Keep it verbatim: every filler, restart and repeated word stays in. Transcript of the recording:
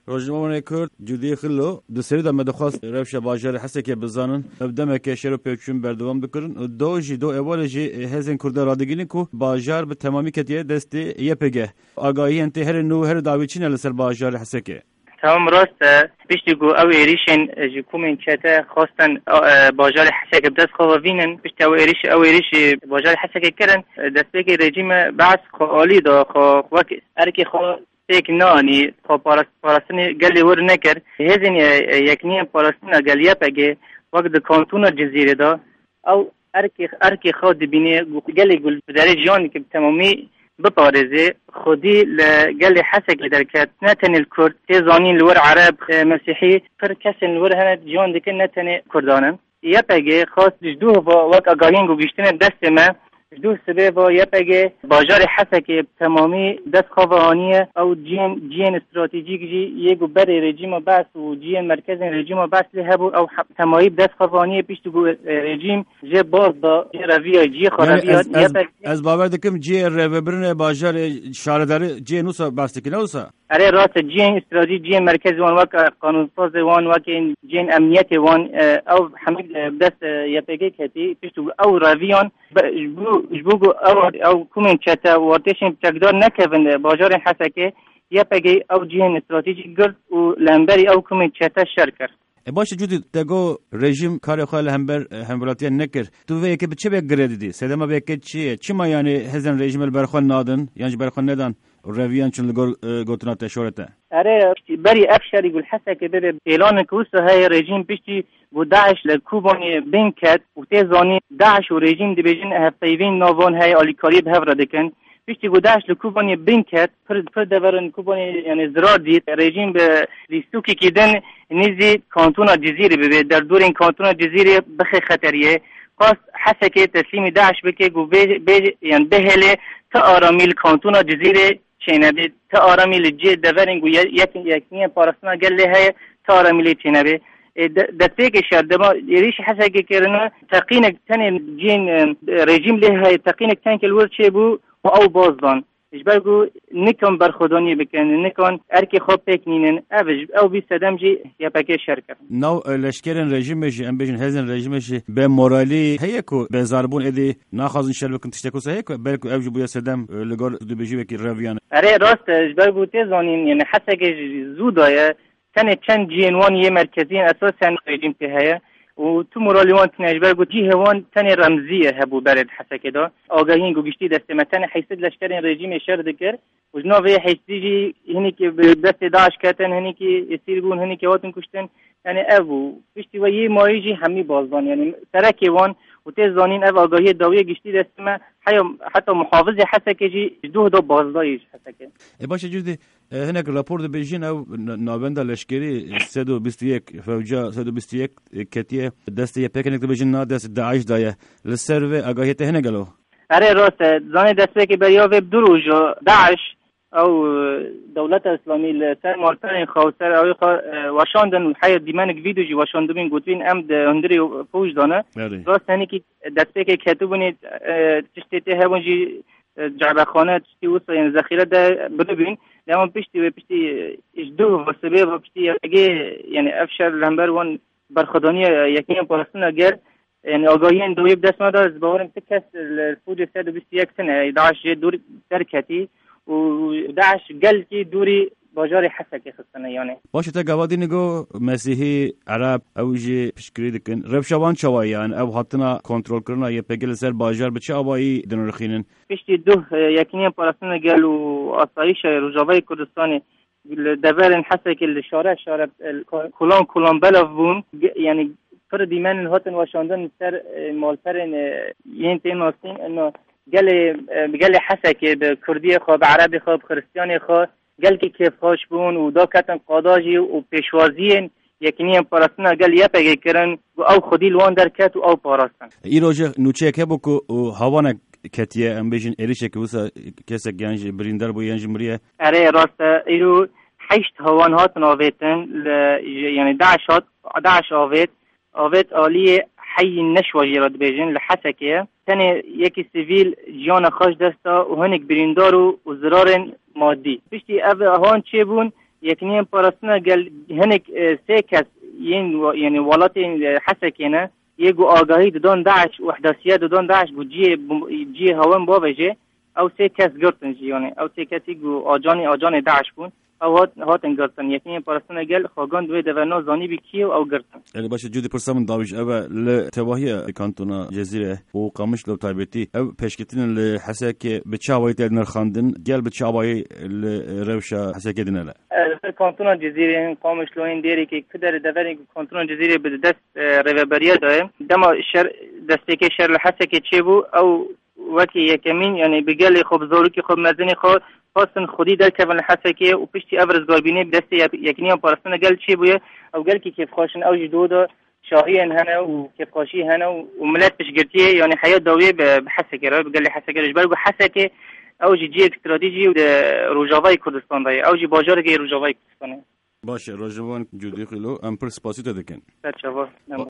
Rojnamevanê Kurd Cudî Xilo, di serî de me dixwest rewşa bajarê Hesekê bizanin. Ev demeke şer û pêçûn berdewam dikirin. Do jî, do ewalê jî hêzên Kurda radigihînin ku bajar bi temamî ketiye destê Y P G. Agahiyên tê herê nû, herê dawî çi ne li ser bajarê Hesekê? Tamam, rast e. Piştî ku ew êrîşên ji komên çete xwestin, e, bajarê Hesekê bi dest xwe ve vînin, piştî ew êrîş, ew êrîşî bajarê Hesekê kirin, destpêkê rejîme Be'es xwe alî da, xwe wek erkê xwe pêk neanî, xwe parast-, parastinê gelê wir nekir. Hêzên, e, e, Yekniyên Parastina Gel Y P G wek di kantona Cizîrê de, ew erkê, erkê xwe dibîne, gu-, gelê ku bi derê jiyan dike bi temamî biparêze. Xwedî li gelê Hesekê derket, ne tenê li Kurd, tê zanîn li wir Ereb, e, Mesîhî, pir kesên li wir hene jiyan dikin, ne tenê Kurdan in. Y P G xwest ji duh ve wek agahiyên ku gihiştine destê me, ji duh sibê ve Y P G bajarê Hesekê bi temamî dest xwe ve aniye. Ew cihên, cihên stratejîk jî yê ku berê rejîma Be'es û cihên merkezên rejîma Be'es lê hebû, ew he-, temayî bi dest xwe ve aniye, piştî ku, e, rejîm jê baz da, jê reviya, cihê xwe Yani reviya, ez, ez, Y P G ez bawer dikim cihê rêvebirinê bajarê şaredarî cihê nûsa behs dikine wisa? Erê, rast e, cihên îstîracî, cihên merkezî wan, wek, e, qanûnsazê wan, wek ên cihên emniyetê wan, e, ew hemî, e, bi dest, e, Y P G ketî, piştî ku ew reviyan, be-, ji bo, ji bo ku ew, ew komên çete û artêşên çekdar nekevin, e, bajarên Hesekê, Y P G ew cihên stratejîk girt û li hemberî ew komên çete şer kir. E, baş e, Cudî, te got rejîm karê xwe li hember, e, hemwelatiyan nekir. Tu vê yekê bi çi vê girê didî? Sedema vê yekê çi ye? Çima, yani, hêzên rejîmê li ber xwe nadin, yan ji ber xwe nedan û reviyan çin li gor, e, gotina te şorete? Erê, berî ev şerî ku li Hesekê bibe, pêlanek wisa heye, rejîm piştî ku DAIŞ li Kobanê bin ket û tê zanîn DAIŞ û rejîm dibêjin hevpeyvîn nav wan heye, alîkariyê bi hev re dikin. Piştî ku DAIŞ li Kobanê bin ket, pir, pir deverin Kobanê, yani, zirar dît. Rejîm bi lîstokekî din nîzî kantona Cizîrê bibe, derdorên kantona Cizîrê bixe xeteriyê. Xwest Hesekê teslîmî DAIŞ bike ku bê, bê, yani, bihêle ti aramî li kantona Cizîrê çênebe, ti aramî li cê deverên ku ye-, yek-, yekniyên parastina gel lê heye, ti aramî lê çênebe. E, de-, destpêkê şer, dema êrîşî Hesekê kirine, teqînek tenê cihên, e, rejîm lê heye, teqînek tenke li wir çêbû û ew baz dan. Ji ber ku nikan berxwedaniyê bikin, nikan erkê xwe pêk nînin. Ev, ew bî sedem jî Y P G şer kir. Nav, e, leşkerên rejîmê jî, em bêjin hêzên rejîmê jî bê moralî heye ku bêzarbûn êdî naxwazin şer bikin, tiştek wisa heye ku belku ev jî bûye sedem, e, li gor dibêjî wekî reviyan. Erê, rast e, ji ber ku tê zanîn, yani, Hesekê jî zû daye, tenê çend cihên wan yê merkezî yên esasen rejîm tê heye û tu moralî wan tune, ji ber ku cihê wan tenê remzî ye hebû berê di Hesekê de. Agahiyên ku giştî destê me, tenê heyşt sed leşkerên rejîmê şer dikir û ji nav vê heyştî jî hinekî bi destê DAIŞ ketin, hinekî esîr bûn, hinekî hatin kuştin. Yani ev bû. Piştî we yê mayî jî hemî baz dan. Yani serekê wan û tê zanîn ev agahiyê dawiyê giştî destê me, heya heta muhafizê Hesekê jî ji duh da bazdayî ji Hesekê. E, baş e, Cudî, e, hinek rapor dibêjin ew n-, navenda leşkerî sed û bîst û yek, fewca sed û bîst û yek, e, ketiye destê Y P G, hinek dibêjin na dest DAIŞ daye. Li ser vê agahiyê te hene gelo? Erê, rast e. Zanê destpêkê beriya vê bi du roja DAIŞ, ew, e, dewleta Îslamî li ser malperên xwe û ser ewê xwe, e, weşandin û heya dîmenik vîdeo jî weşandibûn, gotibîn em di hundirê fûj de ne. Erê. Rast e, hinekî destpêkê ketibûnê, e, tiştê tê hebûn jî, e, cebexane, tiştê wisa, yani zexîre de biribîn. Lê wan piştî wê, piştî, e, ji duh ve sibê ve piştî Y P G, yani ev şer li hember wan berxwedaniya Yekînên Parastina Gel, yani agahiyên dawî bi dest me de, ez bawerim ti kes li fûcê sed û bîst û yek tune, DAIŞ jê dûr derketî û DAIŞ gelkî dûrî bajarê Hesekê xistine, yani. Baş e, te gava dî nigo Mesîhî, Ereb, ew jî piştgirî dikin. Rewşa wan çawa ye, yani ew hatina kontrolkirina Y P G li ser bajar bi çi awayî dinirxînin? Piştî duh, e, Yekînên Parastina Gel û Asayîşa Rojavayê Kurdistanê li deverên Hesekê li şare şare, e, kolan kolan belav bûn. Ge-, yani pir dîmen hatin weşandin li ser, e, malperên, e, yên tê nasîn. Ino gelê, e, gelê Hesekê bi kurdiyê xwe, bi erebê xwe, bi xiristiyanê xwe gelkî kêfxweş bûn û daketin qada jî û pêşwaziyên Yekîniyên Parastina Gel Y P G kirin ku ew xwedî li wan derket û ew parastin. Îro jî nûçeyek hebû ku û hawanek ketiye, em bêjin êrişek wisa kesek yan jî birîndar bû yan jî miriye. Erê, rast e, îro heşt hawan hatin avêtin, li, yani DAIŞ hat, DAIŞ avêt, avêt aliyê heyî Neşwa jî re dibêjin, li Hesekê ye. Tenê yekî sivîl jiyana xwe ji dest da û hinek birîndar û, û zirarên madî. Piştî ev hawan çêbûn, Yekîniyên Parastina Gel hinek, e, sê kes yên wa-, yani welatên, e, Hesekê ne, yê ku agahî didon DAIŞ û ihdasiye didon DAIŞ ku cihê bim-, cihê hewen bavêje, ew sê kes girtin jî, yani ew sê kesî ku acanê, acanê DAIŞ bûn, ew hat-, hatin girtin. Yekîniyên Parastina Gel xwegan di wê deverna zanîbî kî ye û ew girtin. Erê baş e, cûdî pirsa min dawî ji ev e, li tevahiya kantona Cezîre û Qamişlo bi taybetî, ev pêşketinên li Hesekê bi çi awayî tê nirxandin, gel bi çi awayî li rewşa Hesekê dinere? E, li ser kantona Cezîrê, hin Qamişlo, hin Dêrikê, ku der deverên ku kantona Cezîrê bi dest, e, rêveberiya de ye. Dema şer, destpêkê şer li Hesekê çêbû, ew wekî yekemîn, yani bi gelê xwe, bi zarokê xwe, bi mezinê xwe, xwestin xwedî derkevin li Hesekê û piştî ev rizgarbînê bi destê yek-, Yekîniya Parastina Gel çêbûye. Ew gelkî kêfxweş in, ew jî dû de şahiyên hene û kêfxweşî hene û, û milet piştgirtiyê, yani heya dawiyê bi, bi Hesekê re, bi gelê Hesekê re, ji ber ku Hesekê ew jî cihek stratejî di Rojavayê Kurdistan de ye. Ew jî bajarekê Rojavayê Kurdistanê ye. Baş e, Rojvan Cûdî Xîlo, em pir spasî te dikin. Ser çava. Em